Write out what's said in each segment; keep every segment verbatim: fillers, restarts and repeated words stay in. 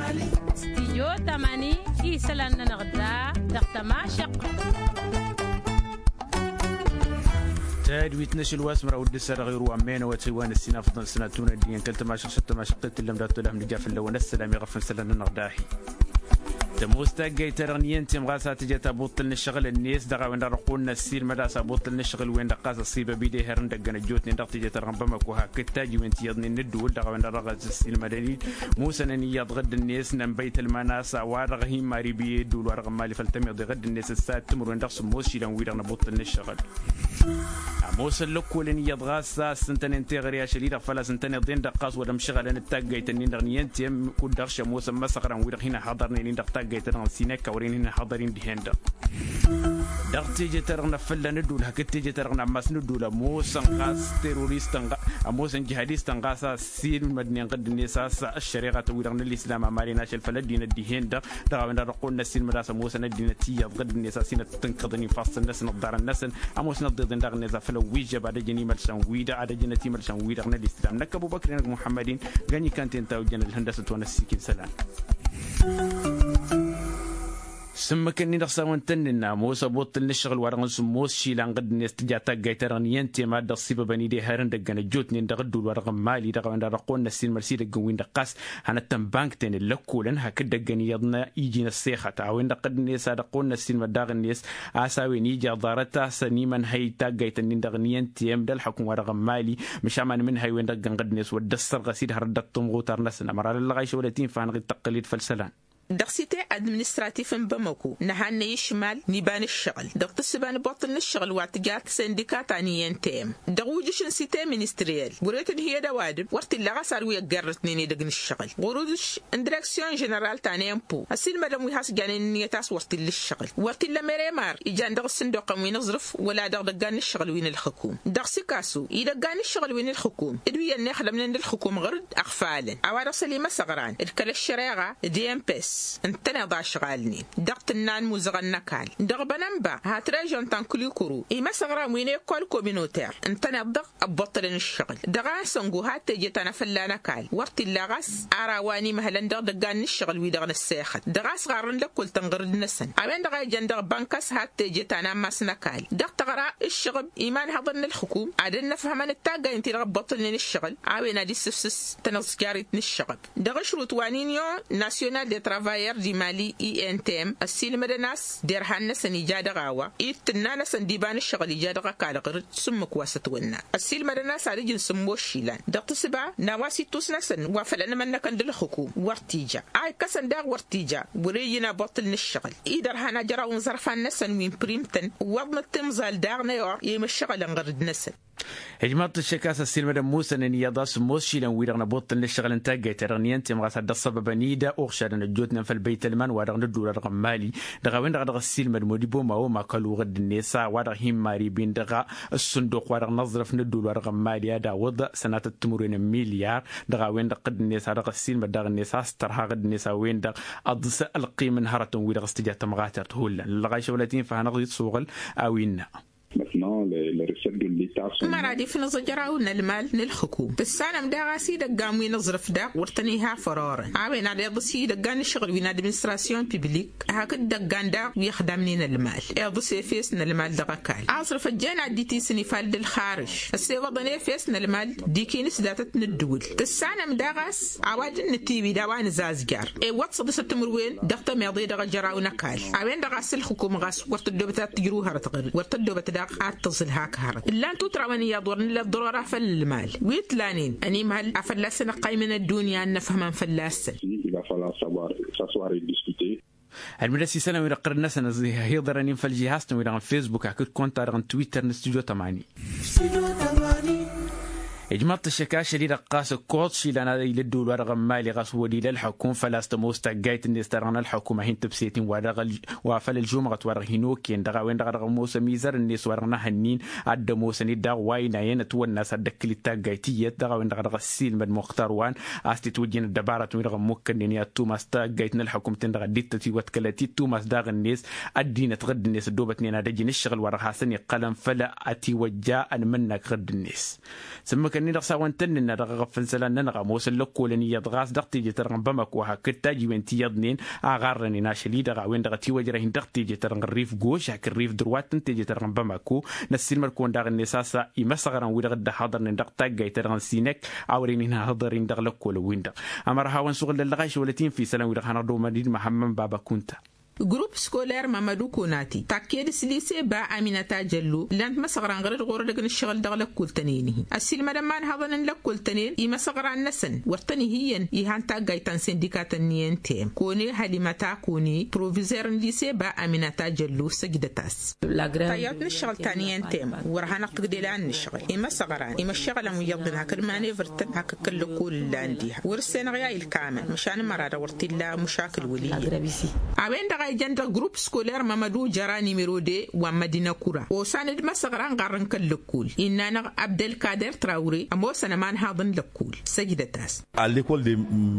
Stijyo tamani isălan-nănăɣ da dăɣ-tămašăqqăt. Tadwit n-ašăl wa s-măraw d-ǝssa dăɣ-iru wa n-menăwăt hăywan ăssinafăḍăn sănatun ăddinăn kăl-tămašăqqăt tămašăqqăt tǝllăm dat-tolăh n-ija făll-awăn ăssălam iɣăfăn isălan-nănăɣ dahi. Tămoos taggayt-ta-dăɣ n-iyyăn temɣas a tǝja tabuḍt n-ǝššăɣǝl-net dăɣ-a-wen-dăɣ dăɣ-kăwăn-năssiilmăd a-s abuḍt n-ǝššăɣǝl-wen-dăɣ ɣas ăṣṣibăb-i d-ehăr n-idăgg n-ăjjootnen dăɣ-teje-ta-dăɣ n-bamăko hakd tajiwen ti iyyăḍnen n-ǝddǝwǝl dăɣ-a-wen-dăɣ dăɣ-s ăssiilmădăn-dd musănăn iyyăḍ ɣǝdd-net n-ănbăytălman a-s a-wa-dăɣ hin-mari bi ăddǝwǝl-wa-dăɣ n-mali făll-tămiḍe ɣǝdd-net ǝssa timǝrwen dăɣ-sǝmmos išilan-wi-dăɣ n-abuḍt n-ǝššăɣǝl. Ămoosăn lăkkolăn iyyăḍ ɣas a ǝssǝntănen teɣăre ašăl-i-dăɣ făl-a-s ǝntăneḍ-en-dăɣ ɣas wăr-ămšăɣălăn d-taggayt-nin-dăɣ n-iyyăn tem kud-dăɣ šămoosăn imăsăɣran-wi-dăɣ hin-ăhhăḍărnen-in dăɣ-taggayt-ta-dăɣ n-sineka wăren hin-ăhhăḍăr-in dihen-dăɣ. Dăɣ-teje-ta-dăɣ n-afălla n-ădduul hakd teje-ta-dăɣ n-ammas n-ădduul ămoosăn ɣas teroristăn ămoosăn jihadistăn ɣas a ăssiilmădnen ɣǝdd-net a-s ăššăreɣatăn-wi-dăɣ n-ălislam amalen ašăl făll-ăddinăt dihen-dăɣ dăɣ-a-wen-dăɣ dăɣ-kăwăn-năssiilmăd a-s ămoosăn ăddinăt iyyăḍ ɣǝdd-net a-s hin-ăttănkăḍăn infassăn-năsăn ǝḍḍarăn-năsăn ămoosăn ăḍḍeḍen daɣ-net a făl ăwwijjăb ad-ăjăn imălsan-wi-dăɣ ad-ăjănăt imălsan-wi-dăɣ n-ălislam năkk ăbubăkr-i-nănăɣ muḥămmăd-in găny-i kanten ta ojjăn ălhăndăsăt wa n-ăssiikim isălan. S-ǝmmǝk-ǝnnin-dăɣ s-a-wăn tănnǝnna ămoos ăbuṭṭǝl n-ǝššăɣǝl-wa-dăɣ n-sǝmmos išilan ɣǝdd-net tǝja taggayt-ta-dăɣ n-iyyăn tema a dd-ăṣṣibăbăn-dd ehăr n-idăgg n-ăjjootnen dăɣ-ǝddǝwǝl-wa-dăɣ n-mali dăɣ-a-wen-dăɣ dăɣ-kăwăn-năssiilmăd s-idăgg n-win-dăɣ ɣas hanăt-tănbănkten ǝllăkkolăn hakd idăgg n-iyyăḍ n-iji n-ăssexăt a-wen-dăɣ ɣǝdd-net a dăɣ-kăwăn-năssiilmăd daɣ-net a-s a-wen ija ḍarăt a-s ănimănhăy taggayt-ǝnnin-dăɣ n-iyyăn tem d-ălxukǝm-wa-dăɣ n-mali măšan ma n-imǝnhăy-wen-dăɣ ǝggăn ɣǝdd-net wăr dd-ăssărɣăs-dd hărăt dăɣ-timɣutar-năsăn ămăra lăllăɣayšăwălăt-in făhănăɣ-dd tăqqǝl-dd făll-isălan. Dăɣ-site administratif n-bamako nǝhannăy ǝšmal n-iba n-ǝššăɣǝl dăɣ-tǝssǝba n-ibuṭṭǝl n-ǝššăɣǝl wa tǝja sindika ta n-iyyăn tem dăɣ-ujǝš n-site ministriyel wăr-e tǝnhǝyăd ăwadǝm wăr t-illa ɣas ar wi ăggerrătnen edăgg n-ǝššăɣǝl ɣur-ujǝš n-direksyon ženeral ta n-empo ăsiilmădăn wi has-janen ǝnniyăt a-s wăr t-illa ǝššăɣǝl wăr t-illa meremar ijan dăɣ-ǝssǝnduqăn wi n-aẓrǝf wăla dăɣ-idăggan n-ǝššăɣǝl wi n-ǝlxǝkum. Dăɣ-sikasu idăggan n-ǝššăɣǝl wi n-ǝlxǝkum d-wi ănnixdămnen d-ǝlxǝkum ɣur-dd ăɣfalăn a-wa dăɣ-s ălimăsăɣran d-kăl-ăššăreɣa d-emps ǝntăneḍ ašɣalnen dăɣ-tǝnna n-imuzăɣăn n-ăkall dăɣ-bănănba hat režon ta n-kǝlikuru imăsăɣran wi n-ekol kominoter ǝntăneḍ-dăɣ ăbbuṭṭălăn ǝššăɣǝl dăɣ-ansăngu had teje ta n-afălla n-ăkall wăr t-illa ɣas ar a-wa n-imhălăn dăɣ-idăggan n-ǝššăɣǝl-wi-dăɣ n-ăssexăt dăɣ-a-s ɣarrăn lăkkul-tăn ɣur-dd-năsăn a-wen-dăɣ a ijăn dăɣ-bănkas had teje ta n-ammas n-ăkall dăɣ-tăɣra ǝššăɣǝb imanhăḍăn n-ǝlxǝkum ad-ănnăfhămăn d-taggaynt-i-dăɣ ăbbuṭṭǝlnen ǝššăɣǝl a-wen ad-issǝfsǝs tănăẓjarit n-ǝššăɣǝb. Dăɣ-ašrut wa n-inyon nasyonal de travayăr d-imali i n t m ăssiilmădăn a-s derhan-năsăn ija dăɣ-a-wa dd-tǝnna-năsăn d-iba n-ǝššăɣǝl ija dăɣ-ăkall ɣur-dd s-ǝmmǝk wa s-ătwănna ăssiilmădăn a-s ad-ǝjǝn sǝmmos išilan dăɣ-tǝsba n-a-wa s-ittus-năsăn wa făl ănmănnăkăn d-ǝlxǝkum wăr t-ija a ikkăsăn daɣ wăr t-ija wăr-e ijǝn abuṭṭǝl n-ǝššăɣǝl idărhan ajăraw n-iẓărfan-năsăn wi n-prim-tăn iwwăḍnăt timẓal daɣ n-e-or i-imǝššăɣǝlăn ɣur-dd-năsăn. Ijmaḍ-t ǝššăk a-s ăssiilmădăn musănăn iyyăḍ a-s ămoos išilan-wi-dăɣ n-abuṭṭǝl n-ǝššăɣǝl n-taggayt-ta-dăɣ n-iyyăn temɣas ad-dd-ăṣṣăbăbăn-dd oɣšadăn ăjjootnen făll-băytălman-wa-dăɣ n-ădduul-wa-dăɣ n-mali dăɣ-a-wen-dăɣ a dăɣ-ăssiilmăd modibo mawoma kălu ɣǝdd-net a-wa-dăɣ hin-maribin dăɣ-ăssǝnduq-wa-dăɣ n-aẓrǝf n-ădduul-wa-dăɣ n-mali ad-awǝḍ sănatăt timǝrwen n-milyar dăɣ-a-wen-dăɣ ɣǝdd-net a dăɣ-ăssiilmăd daɣ-net a-s tărha ɣǝdd-net a-wen-dăɣ ăḍs ălqim n-hărătăn-wi-dăɣ s-tǝja tămɣatert hullan ăllăɣayšăwălăt-in făhănăɣ-dd s-uɣǝl a-wa innă. Ămăra ad-ifnǝẓ ajăraw n-ălmal n-ǝlxǝkum tǝssanăm daɣ a-s idăggan wi n-aẓrǝf daɣ wăr tăn-iha fărorăn a-wen ad-iḍǝs idăggan n-ǝššăɣǝl wi n-administrasyon piblik hakd idăggan daɣ wi ăxdamnen ălmal iḍǝs efes n-ălmal dăɣ-ăkall aẓrǝf ăjjeen ad-dd-itisǝn ifal d-ǝlxarǝš ăssewăḍăn efes n-ălmal d-ikinǝs datăt n-ǝddǝwǝl tǝssanăm daɣ a-s a-wa dd-nǝtiwǝy d-a-wa nǝzazjar iwwăḍ săḍisăt timǝrwen dăɣ-tămeḍe dăɣ-ajăraw n-ăkall a-wen-dăɣ a-s ǝlxǝkum ɣas wăr tăddobăt ad-tǝjrǝw hărăt ɣǝr-dd wăr tăddobăt daɣ ad-tǝẓǝl hak hărăt ǝllan tutrawăn iyyăḍ wăr nǝllăt ḍărora făll-ălmal wi t-lanen ănimhăl a fălla-săn ăqqaymăn ăddunya ad-năfhămăn fălla-săn. Ălmǝdăs isălan wi-dăɣ ɣǝrǝd-năsăn ăẓhiḍărăn-in făll-žihaz-tăn wi-dăɣ n-fesbuk hakd konta-dăɣ n-twitter n-studyo tămani. Ijmăḍ-t ăššăk ašăl-i-dăɣ ɣas ǝkkoẓ išilan ad-ila ădduul-wa-dăɣ n-mali ɣas wăr-ila ălxukum făl-a-s tămoos taggayt-net ta dăɣ-nălxukum a hin-tǝbset-in wa făl ălžumɣăt wa dăɣ-hin-okăyăn dăɣ-a-wen-dăɣ a dăɣ-ămoos ămizăr-net wa dăɣ-năhănnin ad-dd-ămoosăn-dd daɣ wa inayăn ătwănna a-s ad-dd-ăkkǝl-dd taggayt tiyyăt dăɣ-a-wen-dăɣ a dăɣ-ăssiilmăd muxtar wa n-a-s titwǝjjăn ăddăbarătăn wi-dăɣ ămmukkănnen i-ad-tumas taggayt n-ălxukum-ten-dăɣ a dd-tătiwătkălăt-dd tumas daɣ-net ăddinăt ɣǝdd-net ăddoobătnen ad-ăjǝn ǝššăɣǝl wa dăɣ-hasăn-iqqălăn făll-ătiwăjja ănmǝnnak ɣǝdd-net. S-ǝmmǝk Ăkănnăy dăɣ-s a-wăn tăn-nǝnna dăɣ-eɣăf n-isălan-nănăɣ ămoosăn lăkkolăn iyyăḍ ɣas dăɣ-teje-ta-dăɣ n-bamako hakd tajiwen ti iyyăḍnen a ɣarrănen ašăl-i-dăɣ a-wen-dăɣ ătiwăjrăh-in dăɣ-teje-ta-dăɣ n-ărrif goš hakd ărrif dărwat n-teje-ta-dăɣ n-bamako. Năssiilmăd-kăwăn daɣ-net a-s imăsăɣran-wi-dăɣ dd-ăhhăḍărnen dăɣ-taggayt-ta-dăɣ n-sinek a wărăn-in-hăhăḍăr-in dăɣ-lăkkolăn-win-dăɣ. Ămăra a hawăn-suɣǝl d-ăllăɣayš wăla t-in-fi isălan-wi-dăɣ hanăɣ-dd-omăd-dd măhămmăn baba kunta. Grup skoler mamădu konati takked s-lise ba aminata jăllo ǝllan-t măsăɣran ɣur-dd ɣur-edăgg n-ǝššăɣǝl dăɣ-lăkkul-tăn-en-hi. Ăssiilmădăn ma ǝnhăḍăn n-lăkkul-tăn-en imăsăɣran-năsăn wăr tăn-ih' iyyăn ihan taggayt ta n-sindika-tăn n-i n t m kone hălimăta kone provizer n-lise ba aminata jăllo săjdăt-as. Tayyăwt n-ǝššăɣǝl ta n-i n t m wăr hanăɣ-tǝgdel a ǝnnǝšɣǝl imăsăɣran imăššăɣǝlăn wi iyyăḍnen hakd manevăr-tăn hakd kăl-lăkkol ǝllan diha wăr-ǝssenăɣ i-a ilkamăn măšan ămăra-dăɣ wăr t-illa măšakǝl wăl' iyyăn. A-wen-dăɣ a ijăn dăɣ-grupp skoler mămădu jăra nimero de wa n-mădina kura osan d-imăsăɣran ɣarrăn kăl-lăkkol innă-năɣ abdălkader trawre ămoosăn ămanhaḍ n-lăkkol săjdăt-as.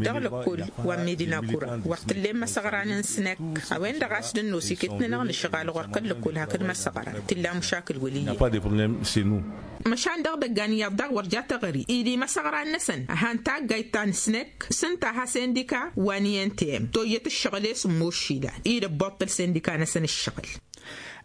Dăɣ-lăkkol wa n-medina kura wăr t-ǝllen imăsăɣran n-snăk a-wen-dăɣ a-s dd-ănnos iket-nănăɣ n-ǝšɣal ɣur-kăl lăkkol hakd imăsăɣran t-illa măšakǝl wăl' iyyăn. Măšan dăɣ-idăggan iyyăḍ daɣ wăr ja teɣări ila imăsăɣran-năsăn han taggayt ta n-snăk s-ǝnta ha sindika wa n-i n t m toyyăt ǝššăɣǝl i-s ǝmmoššila-i d-ăbboṭṭăl sindika-năsăn ǝššăɣǝl.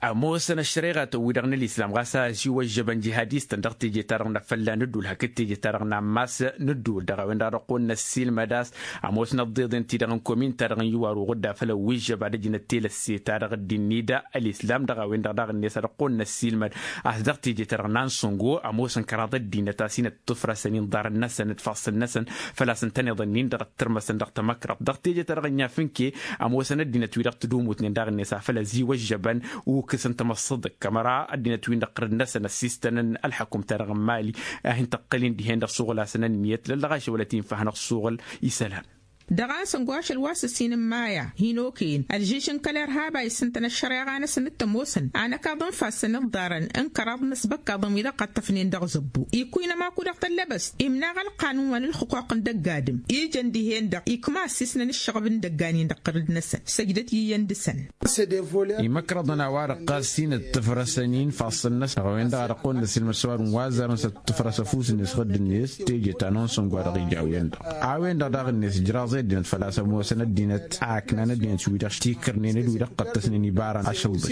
Ămoosăn ăššăreɣatăn-wi-dăɣ n-ălislam ɣas a ăsiwăžžăbăn jihadistăn dăɣ-teje-ta-dăɣ n-afălla n-ǝddul hakd teje-ta-dăɣ n-ammas n-ǝddul dăɣ-a-wen-dăɣ a dăɣ-kăwăn-năssiilmăd a-s ămoosnăt d-iḍen-ti-dăɣ n-komin-ta-dăɣ n-iwar uɣǝdda făll-ăwwižžăb ad-ăjnăt telăsse-ta-dăɣ dd-innida ălislam dăɣ-a-wen-dăɣ daɣ-net a dăɣ-kăwăn-năssiilmăd a-s dăɣ-teje-ta-dăɣ n-ansăngo ămoosăn kăraḍ ăddinăt a-s hin-ăṭṭǝfrăsăn inḍarăn-năsăn d-ifassăn-năsăn făl-a-s ǝntăneḍ-nin-dăɣ ăttărmăsăn dăɣ-tamăkraḍt dăɣ-teje-ta-dăɣ n-iafǝnke. Ămoosăn ăddinăt-wi-dăɣ tǝdumutnen daɣ-net a făl ăziwăžžăbăn ukǝsăn tamăssăḍăk ămăra ăddinăt-win-dăɣ ɣǝrǝd-năsăn ăssistănăn ălḥăkum-ta-dăɣ n-mali a hin-tăqqălin dihen-dăɣ suɣǝl-asăn ǝnniyăt lăllăɣašăwălăt-in făhănăɣ suɣǝl isălan. Dăɣ-a n-săngošăl wa s-ǝssin n-maya hin-okăyăn ălžiž n-kăler haba issǝntăn ăššăreɣa-năsăn d-tămoosăn a năkaḍ n-ifassăn iḍarăn n-kăraḍ n-asbăkkaḍăn wi-dăɣ ɣăṭṭăfnen dăɣ-zăbbu ikkuynăm akudăɣ tăllăbăst imnaɣ ălqanun wa n-ǝlxǝquq n-dăgg-adǝm ijăn dihen-dăɣ ikma ăssiisnăn ǝššăɣăb n-idăggan-in dăɣ-tărǝd-năsăn săjdăt iyyăn dăɣ-săn. Imăkrăḍăn a-wa-dăɣ ɣas hin-ǝṭṭǝfrăsăn-in ifassăn-năsăn dăɣ-a-wen-dăɣ a dăɣ-kăwăn-năsilmăd s-ăwadǝm wa ăzzarăn s-ăṭṭǝfrăs ăfuss-net ɣǝdd-net teje ta n-onsăngo a dăɣ-ija a-wen-dăɣ a-wen-dăɣ daɣ-net ǝjraẓ i-ăddinăt făl-a-s ămoosăn ăddinăt a ǝknan ăddinăt-wi-dăɣ tikrnen d-wi-dăɣ qqăttăsnen ibarăn ašălbǝš.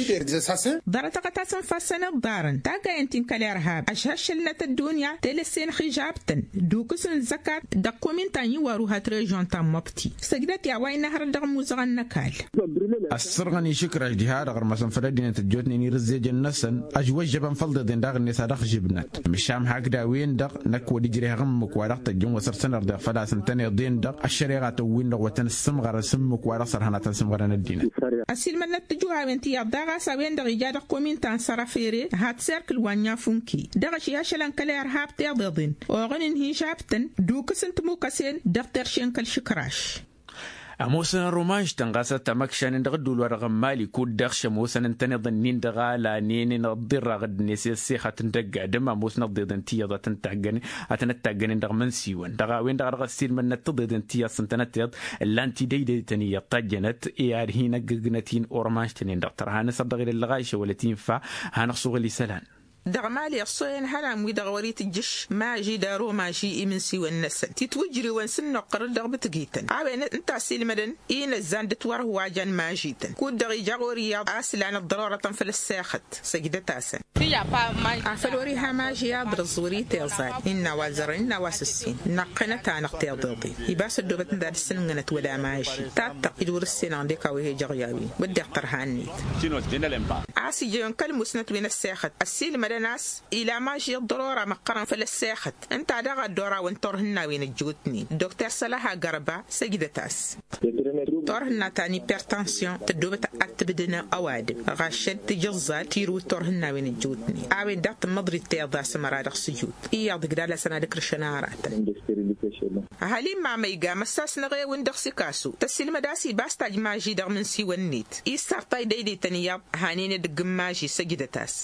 Ḍarăt-aɣăt a-s ǝnfassăn iḍarăn taggayăn ti n-kăl-irhab ăšhăššălnăt ăddunya telăsse n-ixižab-tăn d-ukǝs n-zăkat dăɣ-komin ta n-iwaru hat režion ta n-măbti săjdăt i-a-wa innă hărăt dăɣ-imuzăɣăn n-ăkall. Ăssărɣăn išǝkraš diha-dăɣ ărmăsăn făll-ăddinăt ăjjootnen irǝzzejăn-năsăn ăžwăžžăbăn făll-iḍeḍen daɣ-net a dăɣ-žǝbnăt măšan hakd-a-wen-dăɣ năkk wăr ijreh ăɣǝmmǝk wa dăɣ-tăjjăn wa săr-tăn-ărḍeɣ făl-a-s ǝntăneḍ-en-dăɣ ăššăreɣa tăwwin-dăɣ wa tăn-ǝssǝmɣărăn s-ǝmmǝk wa dăɣ-sărhănatăn s-ǝmɣărăn ăddinăt. Ăsilmădnăt tǝjuhawen ti iyyăḍ daɣ a-s a-wen-dăɣ ija dăɣ-komin ta n-sărăfere hat serkǝl wa n-inyafunk-i dăɣ-ašăl ašălăn kăl-irhab tiḍeḍen oɣǝn n-hižab-tăn d-ukǝs n-timukăsen dăɣ-terše n-kăl-išǝkraš. Ămoosăn ărrumaž-tăn ɣas a tamăkšanen dăɣ-ădduul-wa-dăɣ n-mali kud-dăɣ šămoosăn ǝntăneḍ-nin-dăɣ a lanen inăḍḍirraɣ dd-net i-ăssexăt n-dăgg-adǝm ămoosnăt d-iḍen ti iyyăḍ a tăn-ăttaggănen dăɣ-imǝnsiwăn dăɣ-a-wen-dăɣ a dăɣ-ăssiilmădnăt tiḍeḍen ti iyyăḍ s-ǝntănăteḍ ǝllan-t-dd iḍen iyyăḍ tajjănăt i-ad-hin-ăggăgnăt-in ormaž-tăn-en-dăɣ tărha n-asăr dăɣ-ilăllăɣ a išăwălăt infa hanăɣ-suɣǝl isălan. Dăɣ-mali ăṣṣoyăn ihănan-wi-dăɣ wăr-itǝjjǝš maži d-aromaži imǝnsiwăn-năsăn titwǝjriwăn s-ǝnnuqqăr-dd dăɣ-mǝtgităn a-wen ǝnta ăsilmădăn inăzzan d-ǝtwărhǝwajăn maži-tăn kud-dăɣ ija ɣur-iyyăḍ a-s lan ăḍḍărorătăn făll-ăssexăt. Săjdăt-asăn. Afăl wăr-iha maži aḍrǝẓ wăr-iteẓal innă a-wa zărăn innă a-wa s-ǝssin năqqănăt-anăɣ tiḍeḍen ibas ăddoobăt ǝnta ad-ǝssǝnǝnnănăt wăla maži tattăɣ-dd wăr-ǝssenăɣ ăndek a-wa he-ijăɣ i-a-wen wădden tărha-net. A-s ijăyăn kăl-musnăt wi n-ăssexăt ăssiilmădăn a-s ila maži ăḍḍărora măqqărăn făll-ăssexăt ǝnta daɣ a dd-orawăn turhǝnnawen ăjjootnen dokter sălăha gărba săjdăt-as. Turhǝnna ta n-ipertansyon tăddoobăt ad-tǝbdǝn ăwadǝm ɣaššăl tǝjǝẓẓal tirǝw d-turhǝnnawen ăjjootnen a-wen daɣ tǝmmăḍrit tiḍa s-ămăra dăɣ-sǝjut iyyăḍ ǝgdal-asăn ad-ǝkrǝšăn aratăn. Ăhalin mamăyga măssasnăɣ ewǝn dăɣ-sikasu tăssilmăd a-s ibas tajj maži dăɣ-imǝnsiwăn-net issartay dăydăytăn iyyăḍ hanen edăgg n-maži săjdăt-as.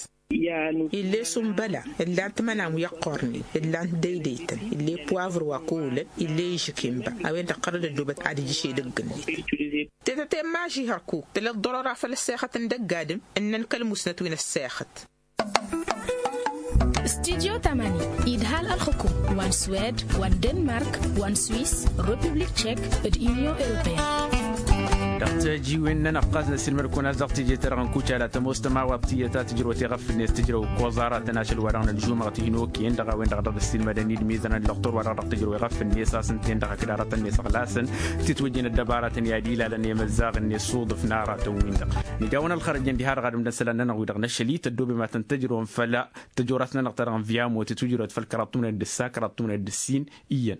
Ill'-e sumbăla ǝllan-t imănan wi ăqqornen ǝllan-t dăydăytăn ill'-e puwavru wa kăwlăn ill'-e ižǝk inba a-wen-dăɣ ɣărăd ăddoobăt ad-ǝjǝš edăgg-net. Tetăte n-maži hărkuk tǝla ăḍḍărora făll-ăssexăt n-dăgg-adǝm ǝnnăn kăl-musnăt wi n-ăssexăt. Studyo tamani idhal ălxukum wa n-swed wa n-denmark wa n-swis, republik tšek, d-inyon europeyăn. Dăɣ-tăjiwen-nănăɣ ɣas n-ăssiilmăd-kăwăn a-s dăɣ-teje-ta-dăɣ n-kucala tămoos tămawaḍt tiyyăt a tǝjrăw teɣăf-net tǝjrăw ăkkoẓ aratăn ašăl-wa-dăɣ n-ălžumăɣ tihnokăyăn dăɣ-a-wen-dăɣ dăɣ-dd-ăssiilmădăn-dd mizănăn lăxtur-wa-dăɣ dăɣ-tǝjrăw iɣăf-net a-s ǝnta-en dăɣ-ăkd aratăn-net ăɣlasăn titwǝjjǝn ăddăbaratăn i-ad-ilalăn i-imăzzaɣ-net s-uḍǝf n-aratăn-win-dăɣ. Nǝja-wăn ălxărăjăn diha-dăɣ ad-ǝmdăn isălan-nănăɣ wi-dăɣ n-ašăl-i tăddoobem ad-tăn-tăjrăwăm făll-a tăjorat-nănăɣ ta dăɣ-n vyamo tǝtwǝjrăwăt făll-kăraḍ timǝnăyăt d-ǝssa kăraḍ timǝnăyăt d-ǝssin. Iyyăn.